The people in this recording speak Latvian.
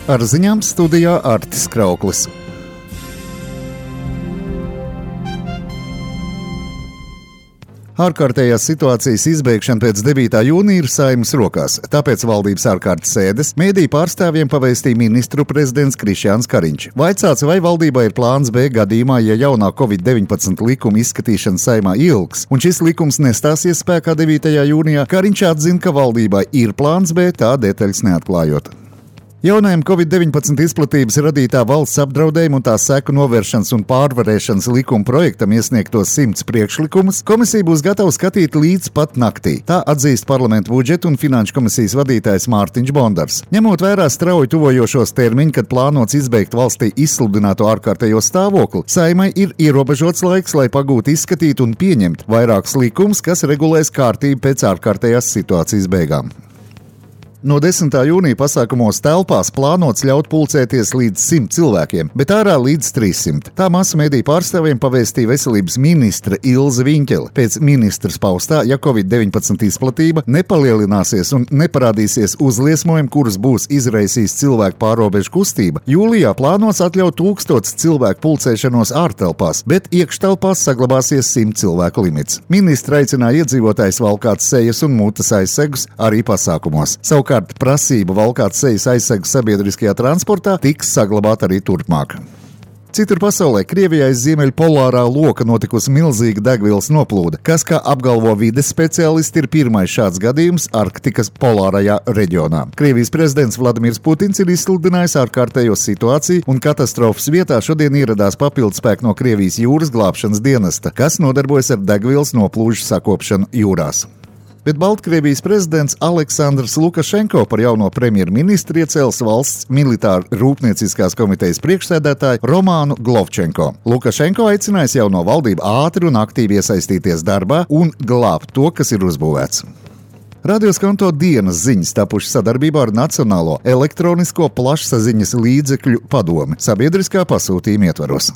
Ar ziņām studijā Artis Krauklis. Ārkārtējās situācijas izbeigšana pēc 9. jūnija ir Saeimas rokās, tāpēc valdības ārkārtas sēdes mediju pārstāvjiem pavēstīja ministru prezidents Krišjāns Kariņš. Vaicāts, vai valdībā ir plāns B gadījumā, ja jaunā Covid-19 likuma izskatīšana Saeimā ilgs, un šis likums nestāsies spēkā 9. jūnijā, Kariņš atzina, ka valdībā ir plāns B, tā detaļas neatklājot. Jaunajam Covid-19 izplatības radītā valsts apdraudējuma un tā seku novēršanas un pārvarēšanas likuma projektam iesniegtos 100 priekšlikumus komisija būs gatava skatīt līdz pat naktī. Tā atzīst Parlamentu budžeta un finanšu komisijas vadītājs Mārtiņš Bondars. Ņemot vērā strauji tuvojošos termiņus, kad plānots izbeigt valstī izsludināto ārkārtējo stāvokli, Saeimai ir ierobežots laiks, lai pagūtu izskatīt un pieņemt vairākus likumus, kas regulēs kārtību pēc ārkārtējās situācijas beigām. No 10. jūnija pasākumos telpās plānots ļaut pulcēties līdz 100 cilvēkiem, bet ārā līdz 300. Tā masu mediju pārstāvjiem pavēstīja veselības ministre Ilze Viņķele. Pēc ministras paustā, ja Covid-19 izplatība nepalielināsies un neparādīsies uzliesmojumi, kurus būs izraisījis cilvēku pārrobežu kustība, jūlijā plānots atļaut 1000 cilvēku pulcēšanos ārtelpās, bet iekštelpās saglabāsies 100 cilvēku limits. Ministra aicināja iedzīvotājus valkāt sejas un mutes aizsegus arī pasākumos. Savukārt prasība valkāt sejas aizsegus sabiedriskajā transportā tiks saglabāta arī turpmāk. Citur pasaulē Krievijā aiz Ziemeļpolārā loka notikusi milzīga degvielas noplūde, kas, kā apgalvo vides speciālisti, ir pirmais šāds gadījums Arktikas polārajā reģionā. Krievijas prezidents Vladimirs Putins ir izsludinājis ārkārtējo situāciju, un katastrofas vietā šodien ieradās papildspēki no Krievijas jūras glābšanas dienesta, kas nodarbojas ar degvielas noplūžu sakopšanu jūrās. Bet Baltkrievijas prezidents Aleksandrs Lukašenko par jauno premjerministru iecēlis valsts militāra rūpnieciskās komitejas priekšsēdētāju Romānu Glovčenko. Lukašenko aicinājis jauno valdību ātri un aktīvi iesaistīties darbā un glābt to, kas ir uzbūvēts. Radio Skanto dienas ziņas tapušas sadarbībā ar Nacionālo elektronisko plašsaziņas līdzekļu padomi sabiedriskā pasūtījuma ietvaros.